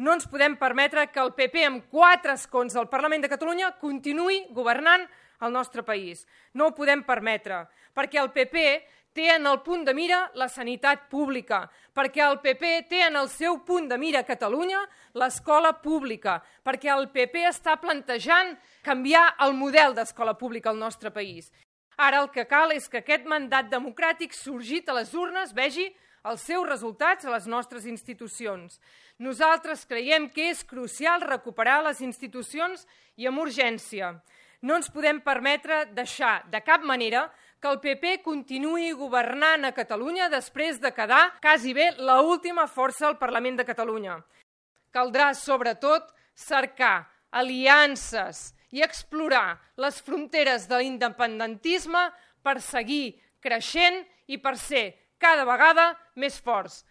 No ens podem permetre que el PP, amb 4 escons al Parlament de Catalunya, continuï governant el nostre país. No ho podem permetre, perquè el PP té en el punt de mira la sanitat pública, perquè el PP té en el seu punt de mira a Catalunya l'escola pública, perquè el PP està plantejant canviar el model d'escola pública al nostre país. Ara el que cal és que aquest mandat democràtic sorgit a les urnes vegi els seus resultats a les nostres institucions. Nosaltres creiem que és crucial recuperar les institucions i amb urgència. No ens podem permetre deixar de cap manera que el PP continuï governant a Catalunya després de quedar quasi bé l'última força al Parlament de Catalunya. Caldrà, sobretot, cercar aliances i explorar les fronteres de l'independentisme per seguir creixent i per ser cada vegada més forts.